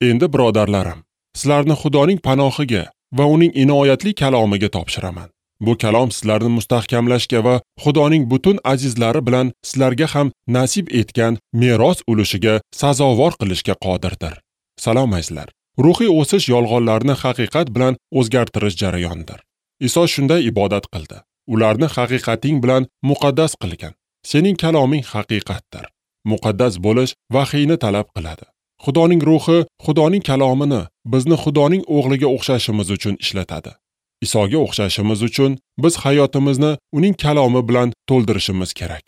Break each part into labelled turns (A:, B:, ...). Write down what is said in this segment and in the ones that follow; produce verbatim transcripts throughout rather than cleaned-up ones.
A: Endi birodarlarim, sizlarni Xudoning panohiga va uning inoyatli kalomiga topshiraman. Bu kalom sizlarni mustahkamlashga va Xudoning butun azizlari bilan sizlarga ham nasib etgan meros ulushiga sazovor qilishga qodirdir. Salom azizlar. Ruhiy o'sish yolg'onlarni haqiqat bilan o'zgartirish jarayonidir. Iso shunday ibodat qildi. Ularni haqiqating bilan muqaddas qilgin. Sening kaloming haqiqatdir. Muqaddas bo'lish vahiyni talab qiladi. Xudoning ruhi Xudoning kalomini bizni Xudoning o'g'liga o'xshashimiz uchun ishlatadi. Isoga o'xshashimiz uchun biz hayotimizni uning kalomi bilan to'ldirishimiz kerak.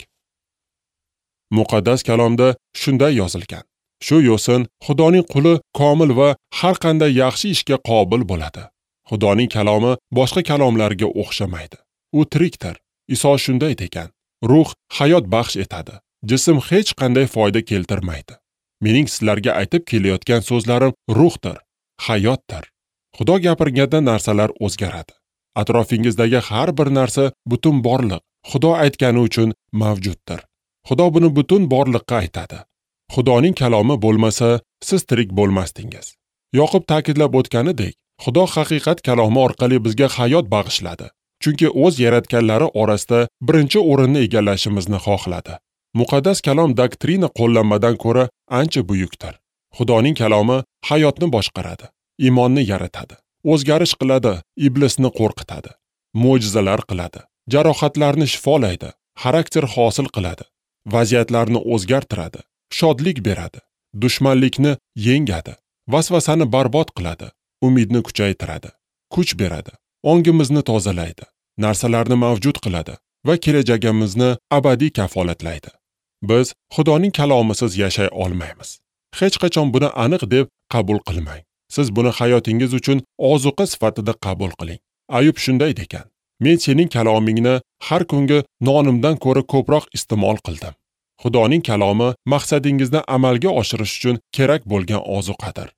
A: Muqaddas kalomda shunday yozilgan: Shu yo'sin Xudoning quli komil va har qanday yaxshi ishga qobil bo'ladi. Xudoning kalomi boshqa kalomlarga o'xshamaydi. U tirikdir. Iso shunday degan: Ruh hayot baxsh etadi. Jism hech qanday foyda keltirmaydi. Mening sizlarga aytib kelayotgan so'zlarim ruhdir, hayotdir. Xudo gapirganda narsalar o'zgaradi. Atrofingizdagi har bir narsa butun borliq Xudo aytgani uchun mavjuddir. Xudo buni butun borliqqa aytadi. Xudoning kalomi bo'lmasa, siz tirik bo'lmasdingiz. Yoqub ta'kidlab o'tganidek, Xudo haqiqat kalomi orqali bizga hayot bag'ishladi. Chunki o'z yaratganlari orasida birinchi o'rinni egallashimizni xohladi. Muqaddas kalom doktrina qo'llanmadan ko'ra ancha buyukdir. Xudoning kalomi hayotni boshqaradi, iymonni yaratadi, o'zgarish qiladi, iblisni qo'rqitadi, mo'jizalar qiladi, jarohatlarni shifolaydi, xarakter hosil qiladi, vaziyatlarni o'zgartiradi, shodlik beradi, dushmanlikni yengadi, vasvasani barbod qiladi, umidni kuchaytiradi, kuch beradi, ongimizni tozalaydi, narsalarni mavjud qiladi va kelajagimizni abadiy kafolatlaydi. Biz Xudoning kalomisiz yashay olmaymiz. Hech qachon buni aniq deb qabul qilmang. Siz buni hayotingiz uchun ozuqa sifatida qabul qiling. Ayub shunday degan: Men sening kalomingni har kungi nonimdan ko'ra ko'proq iste'mol qildim. Xudoning kalomi maqsadingizni amalga oshirish uchun kerak bo'lgan ozuqadir.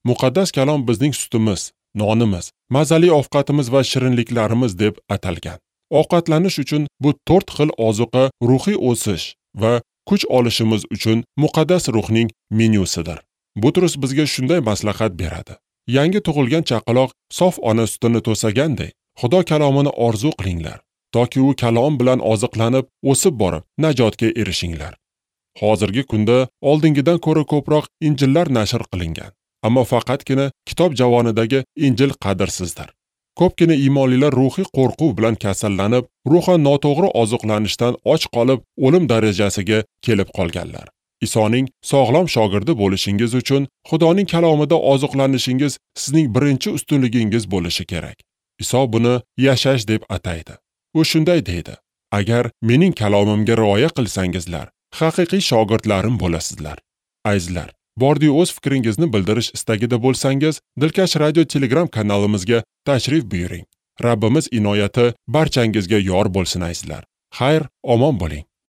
A: Muqaddas kalom bizning sutimiz, nonimiz, mazali ovqatimiz va shirinliklarimiz deb atalgan. Ovqatlanish uchun bu to'rt xil ozuqa ruhiy o'sish va kuch olishimiz uchun muqaddas ruhning menyusidir. Butrus bizga shunday maslahat beradi. Yangi tug'ilgan chaqaloq sof ona sutini to'saganday, Xudo kalomini orzu qilinglar, toki u kalom bilan oziqlanib, o'sib borib, najotga erishinglar. Hozirgi kunda oldingidan ko'ra ko'proq injillar nashr qilingan, ammo faqatgina kitob javonidagi injil qadrsizdir. Ko'pgina iymonlilar ruhiy qo'rquv bilan kasallanib, ruhan noto'g'ri oziqlanishdan och qolib, o'lim darajasiga kelib qolganlar. Isoning sog'lom shogirdi bo'lishingiz uchun Xudoning kalomida oziqlanishingiz sizning birinchi ustunligingiz bo'lishi kerak. Iso buni yashash deb ataydi. U shunday deydi: Agar mening kalomimga rioya qilsangizlar, haqiqiy shogirdlarim bo'lasizlar. Azizlar, bordi o'z fikringizni bildirish istagida bo'lsangiz, Dilkash Radio Telegram kanalimizga tashrif buyuring. Rabbimiz inoyati barchangizga yor bo'lsin azizlar. Xayr, omon bo'ling.